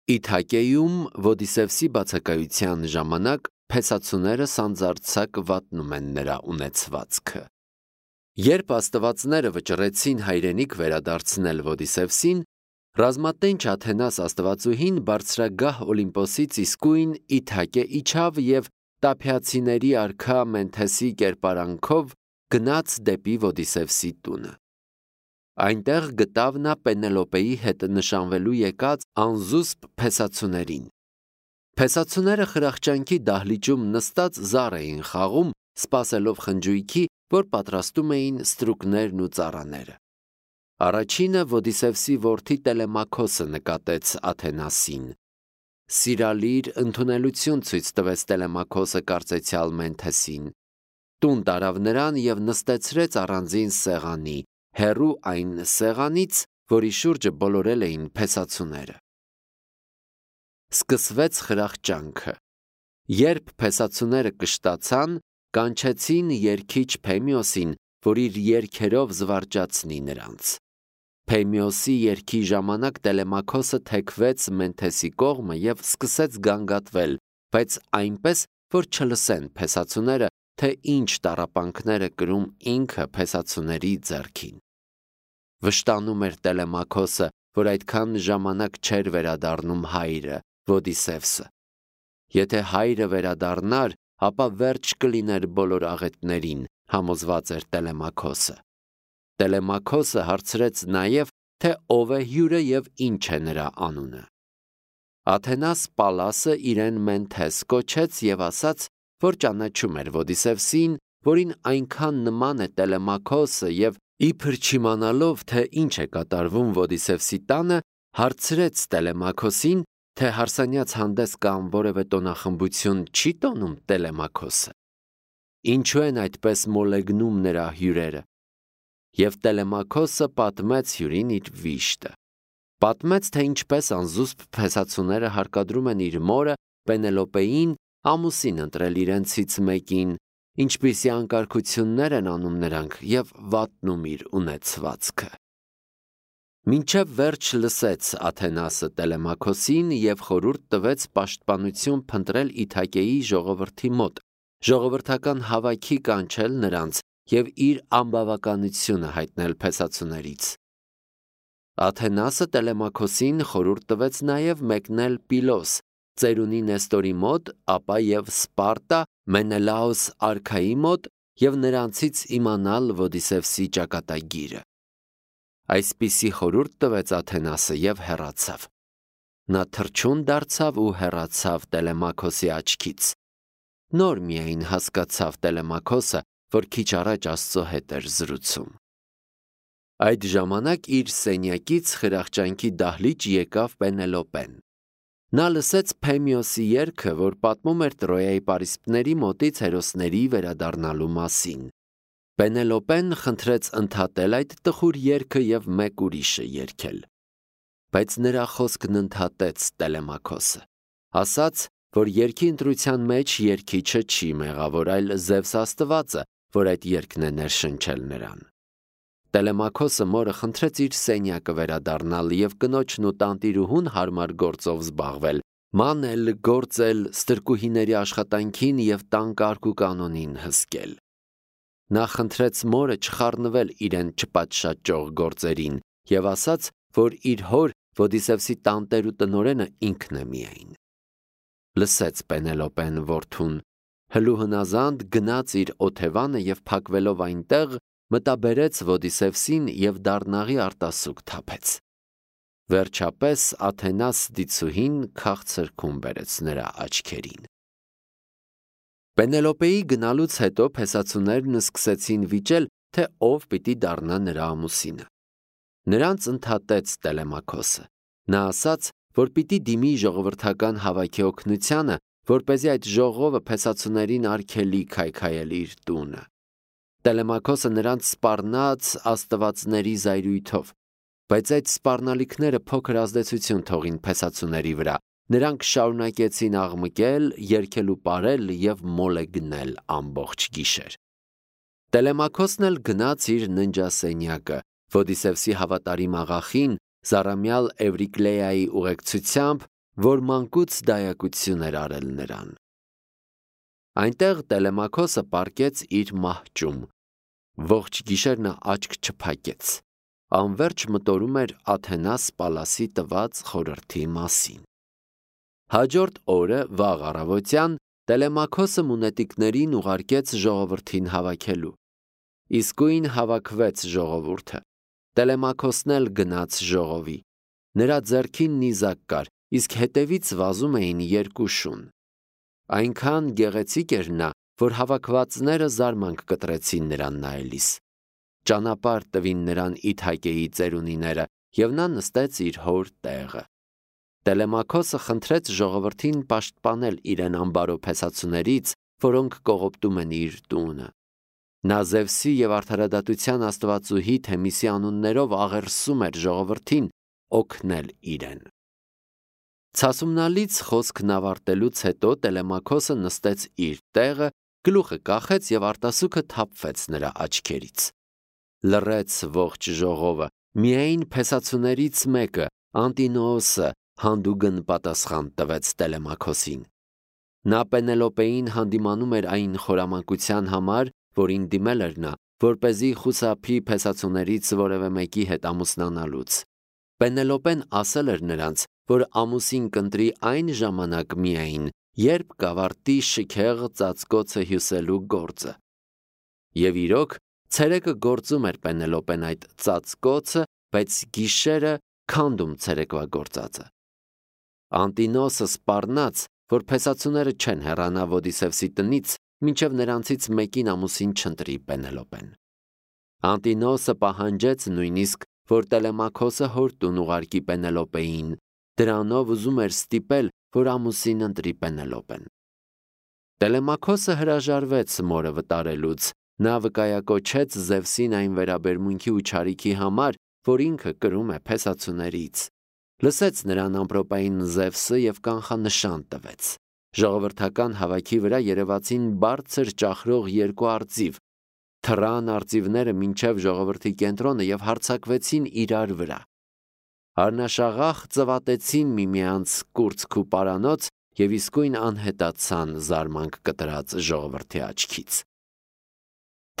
Իթակեում Ոդիսևսի բացակայության ժամանակ փեսացուները սանձարձակ վատնում են նրա ունեցվածքը։ Երբ աստվածները վճռեցին հայրենիք վերադարձնել Ոդիսևսին, ռազմատենչ Աթենաս աստվածուհին բարձրագահ Օլիմպոսից իսկույն Իթակե իջավ և տափյացիների արքա Մենթեսի կերպարանքով գնաց դեպի Ոդիսևսի տունը։ Այնտեղ գտավ նա Պենելոպեի հետ նշանվելու եկած անզուսպ փեսացուներին։ Փեսացուները խրախճանքի դահլիճում նստած զառ էին խաղում, սպասելով խնջույքի, որ պատրաստում էին ստրուկներն ու ծառաները։ Առաջինը Ոդիսևսի որդի Տելեմաքոսը նկատեց Աթենասին։ Սիրալիր ընդունելություն ցույց տվեց Տելեմաքոսը կարծեցյալ Մենթեսին։ Տուն տարավ նրան և նստեցրեց առանձին սեղանի, հեռու այն սեղանից, որի շուրջը բոլորել էին փեսացուները։ Սկսվեց խրախճանքը։ Երբ փեսացուները կշտացան, կանչեցին երգիչ Փեմիոսին, որ իր երգերով զվարճացնի նրանց։ Փեմիոսի երգի ժամանակ Տելեմաքոսը թեքվեց Մենթեսի կողմը և սկսեց գանգատվել, բայց այնպես, որ չլսեն փեսացուները, թե ինչ տառապանքներ է կրում ինքը փեսացուների ձեռքին։ Վշտանում էր Տելեմաքոսը, որ այդքան ժամանակ չէր վերադառնում հայրը, Ոդիսևսը։ Եթե հայրը վերադառնար, ապա վերջ կլիներ բոլոր աղետներին, համոզված էր Տելեմաքոսը։ Տելեմաքոսը հարցրեց նաև, թե ով է հյուրը և ինչ է նրա անունը։ Աթենաս Պալասը իրեն Մենթես կոչեց և ասաց, որ ճանաչում էր Ոդիսևսին, որին այնքան նման է Տելեմաքոսը, և իբր չիմանալով, թե ինչ է կատարվում Ոդիսևսի տանը, հարցրեց Տելեմաքոսին, թե հարսանյաց հանդես կամ որևէ տոնախմբություն չի տոնում Տելեմաքոսը։ Ինչու են այդպես մոլեգնում նրա հյուրերը։ Եվ Տելեմաքոսը պատմեց հյուրին իր վիշտը։ Պատմեց, թե ինչպես անզուսպ փեսացուները հարկադրում են իր մորը Պենելոպեին ամուսին ընտրել իրենցից մեկին, ինչպիսի անկարգություններ են անում նրանք և վատնում իր ունեցվածքը։ Մինչև վերջ լսեց Աթենասը Տելեմաքոսին և խորհուրդ տվեց պաշտպանություն փնտրել Իթակեի ժողովրդի մոտ, ժողովրդական հավաքի կանչել նրանց և իր անբավականությունը հայտնել փեսացուներից։ Աթենասը Տելեմաքոսին խորհուրդ տվեց նաև մեկնել Պիլոս, ծերունի Նեստորի մոտ, ապա և Սպարտա Մենելաոս արքայի մոտ և նրանցից իմանալ Ոդիսևսի ճակատագիրը։ Այսպիսի խորհուրդ տվեց Աթենասը և հեռացավ։ Նա թռչուն դարձավ ու հեռացավ Տելեմաքոսի աչքից։ Նոր միայն հասկացավ Տելեմաքոսը, որ քիչ առաջ Աստծո հետ էր զրուցում։ Այդ ժամանակ իր սենյակից խրախճանքի դահլիճ եկավ Պենելոպեն։ Նա լսեց Փեմիոսի երգը, որ պատմում էր Տրոյայի պարիսպների մոտից հերոսների վերադառնալու մասին։ Պենելոպեն խնդրեց ընդհատել այդ տխուր երգը և մեկ ուրիշը երգել։ Բայց նրա խոսքն ընդհատեց Տելեմաքոսը։ Ասաց, որ երգի ընտրության մեջ երգիչը չի մեղավոր, այլ Զևս աստվածը, որ այդ երգն է ներշնչել նրան։ Տելեմաքոսը մորը խնդրեց իր սենյակը վերադառնալ և կնոջն ու տանտիրուհուն հարմար գործով զբաղվել, մանել, գործել, ստրկուհիների աշխատանքին և տան կարգ ու կանոնին հսկել։ Նա խնդրեց մորը չխառնվել իրեն չպատշաճող գործերին և ասաց, որ իր հոր Ոդիսևսի տանտեր ու տնօրենը ինքն է միայն։ Լսեց Պենելոպեն որդուն, հլուհնազանդ գնաց իր օթևանը և փակվելով այնտեղ, մտաբերեց Ոդիսևսին և դառնաղի արտասուք թափեց։ Վերջապես Աթենաս դիցուհին քաղցր քուն բերեց նրա աչքերին։ Պենելոպեի գնալուց հետո փեսացուներն սկսեցին վիճել, թե ով պիտի դառնա նրա ամուսինը։ Նրանց ընդհատեց Տելեմաքոսը։ Նա ասաց, որ պիտի դիմի ժողովրդական հավաքի օգնությանը, որպեսզի այդ ժողովը փեսացուներին արգելի քայքայել իր տունը։ Տելեմաքոսը նրանց սպառնաց աստվածների զայրույթով, բայց այդ սպառնալիքները փոքր ազդեցություն թողին փեսացուների վրա։ Նրանք շարունակեցին աղմկել, երգել ու պարել և մոլեգնել ամբողջ գիշեր։ Տելեմաքոսն էլ գնաց իր ննջասենյակը, Ոդիսևսի հավատարիմ աղախին, զառամյալ Էվրիկլեայի ուղեկցությամբ, որ մանկուց դայակություն էր արել նրան։ Այնտեղ Տելեմաքոսը պառկեց իր մահճում, ողջ գիշեր նա աչք չփակեց, անվերջ մտորում էր Աթենաս Պալասի տված խորհրդի մասին։ Հաջորդ օրը վաղ առավոտյան Տելեմաքոսը մունետիկներին ուղարկեց ժողովրդին հավաքելու։ Իսկույն հավաքվեց ժողովուրդը։ Տելեմաքոսն էլ գնաց ժողովի։ Նրա ձեռքին նիզակ կար, իսկ հետևից վազում էին երկու շուն։ Այնքան գեղեցիկ էր նա, որ հավաքվածները զարմանք կտրեցին նրան նայելիս։ Ճանապարհ տվին նրան Իթակեի ծերունիները, և նա նստեց իր հոր տեղը։ Տելեմաքոսը խնդրեց ժողովրդին պաշտպանել իրեն ամբարոփեսացուներից, որոնք կողոպտում են իր տունը։ Նա Զևսի և արդարադատության աստվածուհի Թեմիսի անուններով աղերսում էր ժողովրդին օգնել իրեն։ Ցասումնալից խոսքն ավարտելուց հետո Տելեմաքոսը նստեց իր տեղը, գլուխը կախեց և արտասուքը թափվեց նրա աչքերից։ Լռեց ողջ ժողովը, միայն փեսացուներից մեկը, Անտինոոսը, հանդուգն պատասխան տվեց Տելեմաքոսին։ Նա Պենելոպեին հանդիմանում էր այն խորամանկության համար, որին դիմել էր նա, որպեսզի խուսափի փեսացուներից որևէ մեկի հետ ամուսնանալուց։ Պենելոպեն ասել էր նրանց, որ ամուսին կընտրի այն ժամանակ միայն, երբ կավարտի շքեղ ծածկոցը հյուսելու գործը։ Եվ իրոք, ցերեկը գործում էր Պենելոպեն այդ ծածկոցը, բայց գիշերը քանդում ցերեկվա գործածը։ Անտինոսը սպառնաց, որ փեսացուները չեն հեռանա Ոդիսևսի տնից, մինչև նրանցից մեկին ամուսին չընտրի Պենելոպեն։ Անտինոսը պահանջեց նույնիսկ, որ Տելեմաքոսը հոր տուն ուղարկի Պենելոպեին, դրանով ուզում էր ստիպել, որ ամուսին ընտրի Պենելոպեն։ Տելեմաքոսը հրաժարվեց մորը վտարելուց, նա վկայակոչեց Զևսին այն վերաբերմունքի ու չարիքի համար, որ ինքը կրում է փեսացուներից։ Լսեց նրան ամպրոպային Զևսը և կանխանշան տվեց։ Ժողովրդական հավաքի վրա երևացին բարձր ճախրող երկու արծիվ, թռան արծիվները մինչև ժողովրդի կենտրոնը և հարձակվեցին իրար վրա։ Առնաշաղախ ծվատեցին միմյանց կուրծք ու պարանոց և իսկույն անհետացան զարմանք կտրած ժողովրդի աչքից։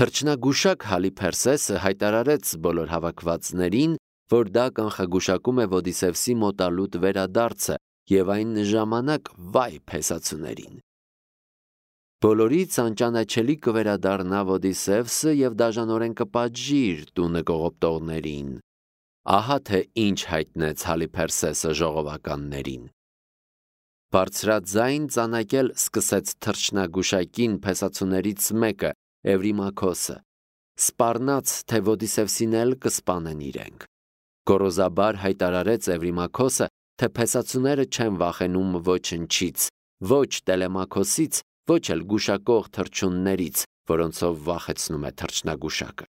Թռչնագուշակ Հալիփերսեսը հայտարարեց բոլոր հավաքվածներին, որ դա կանխագուշակում է Ոդիսևսի մոտալուտ վերադարձը և այն ժամանակ վայ փեսացուներին։ Բոլորից անճանաչելի կվերադառնա Ոդիսևսը և դաժանորեն կպատժի իր տունը կողոպտողներին։ Ահա թե ինչ հայտնեց Հալիփերսեսը ժողովականներին։ Բարձրաձայն ծանակել սկսեց թռչնագուշակին փեսացուներից մեկը, Էվրիմաքոսը, սպառնաց, թե Ոդիսևսին էլ կսպանեն իրենք։ Գոռոզաբար հայտարարեց Էվրիմաքոսը, թե փեսացուները չեն վախենում ոչնչից, ոչ Տելեմաքոսից, ոչ էլ գուշակող թռչուններից, որոնցով վախեցնում է թռչնագուշակը։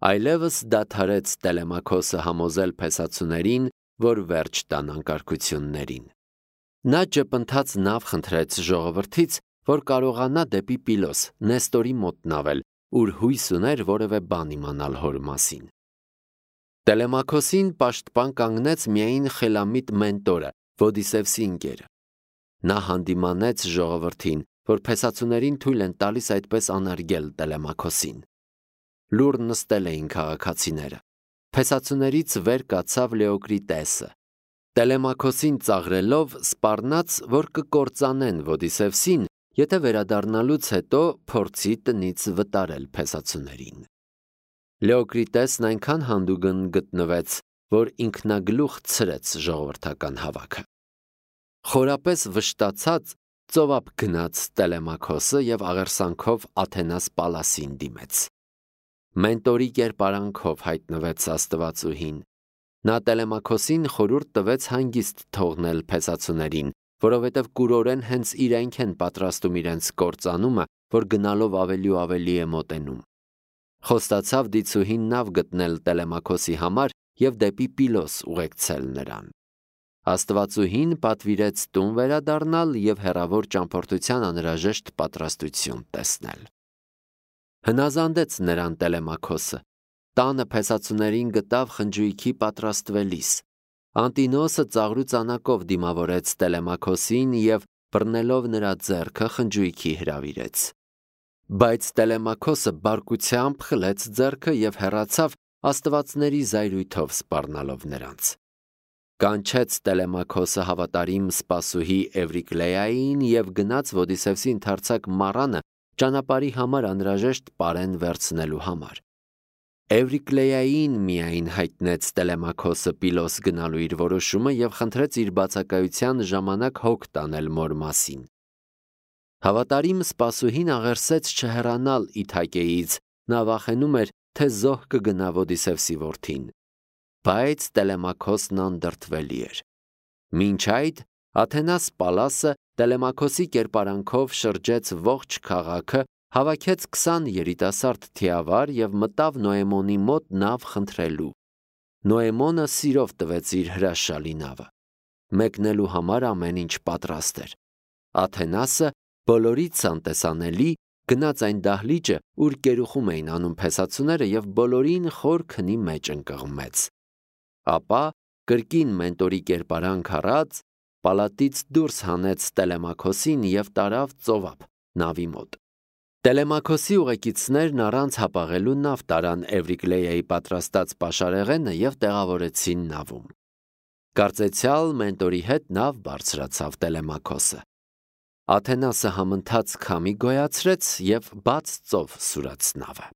Այլևս դադարեց Տելեմաքոսը համոզել փեսացուներին, որ վերջ տան անկարգություններին։ Նա ճպընթաց նավ խնդրեց ժողովրդից, որ կարողանա դեպի Պիլոս, Նեստորի մոտ նավել, ուր հույս ուներ որևէ բան իմանալ հոր մասին։ Տելեմաքոսին պաշտպան կանգնեց միայն խելամիտ Մենտորը, Ոդիսևսի ընկերը։ Նա հանդիմանեց ժողովրդին, որ փեսացուներին թույլ են տալիս այդպես անարգել Տելեմաքոսին։ Լուռ նստել էին քաղաքացիները։ Փեսացուներից վեր կացավ Լեոկրիտեսը։ Տելեմաքոսին ծաղրելով սպառնաց, որ կկործանեն Ոդիսևսին, եթե վերադառնալուց հետո փորձի տնից վտարել փեսացուներին։ Լեոկրիտեսն այնքան հանդուգն գտնվեց, որ ինքնագլուխ ցրեց ժողովրդական հավաքը։ Խորապես վշտացած ծովափ գնաց Տելեմաքոսը և աղերսանքով Աթենաս Պալասին դիմեց։ Մենտորի կերպարանքով հայտնվեց աստվածուհին։ Նա Տելեմաքոսին խորհուրդ տվեց հանգիստ թողնել փեսացուներին, որովհետև կուրորեն հենց իրենք են պատրաստում իրենց կործանումը, որ գնալով ավելի ու ավելի է մոտենում։ Խոստացավ դիցուհին նավ գտնել Տելեմաքոսի համար և դեպի Պիլոս ուղեկցել նրան։ Աստվածուհին պատվիրեց տուն վերադառնալ և հեռավոր ճամփորդության անհրաժեշտ պատրաստություն տեսնել։ Հնազանդեց նրան Տելեմաքոսը, տանը փեսացուներին գտավ խնջույքի պատրաստվելիս։ Անտինոսը ծաղրու ծանակով դիմավորեց Տելեմաքոսին և բռնելով նրա ձեռքը խնջույքի հրավիրեց։ Բայց Տելեմաքոսը բարկությամբ խլեց ձեռքը և հեռացավ աստվածների զայրույթով սպառնալով նրանց։ Կանչեց Տելեմաքոսը հավատարիմ սպասուհի Էվրիկլեային և գնաց Ոդիսևսի ընդարձակ մառանը ճանապարհի համար անհրաժեշտ պարեն վերցնելու համար։ Էվրիկլեային միայն հայտնեց Տելեմաքոսը Պիլոս գնալու իր որոշումը և խնդրեց իր բացակայության ժամանակ հոգ տանել մոր մասին։ Հավատարիմ սպասուհին աղերսեց չհեռանալ Իթակեից, նա վախենում էր, թե զոհ կգնա Ոդիսևսի որդին։ Բայց Տելեմաքոսն անդրդվելի էր։ Մինչ այդ Աթենաս Պալասը Տելեմաքոսի կերպարանքով շրջեց ողջ քաղաքը, հավաքեց 20 երիտասարդ թիավար և մտավ Նոեմոնի մոտ նավ խնդրելու։ Նոեմոնը սիրով տվեց իր հրաշալի նավը։ Մեկնելու համար ամեն ինչ պատրաստ էր։ Աթենասը բոլորից անտեսանելի գնաց այն դահլիճը, ուր կերուխում էին անում փեսացուները և բոլորին խոր քնի մեջ ընկղմեց։ Ապա կրկին մենտորի կերպարանք առած պալատից դուրս հանեց Տելեմաքոսին և տարավ ծովափ նավի մոտ։ Տելեմաքոսի ուղեկիցներն առանց հապաղելու նավ տարան Էվրիկլեայի պատրաստած պաշարեղենը և տեղավորեցին նավում։ Կարծեցյալ մենտորի հետ նավ բարձրացավ Տելեմաքոսը։ Աթենասը համընթաց քամի գոյացրեց և բաց ծով սուրաց նավը։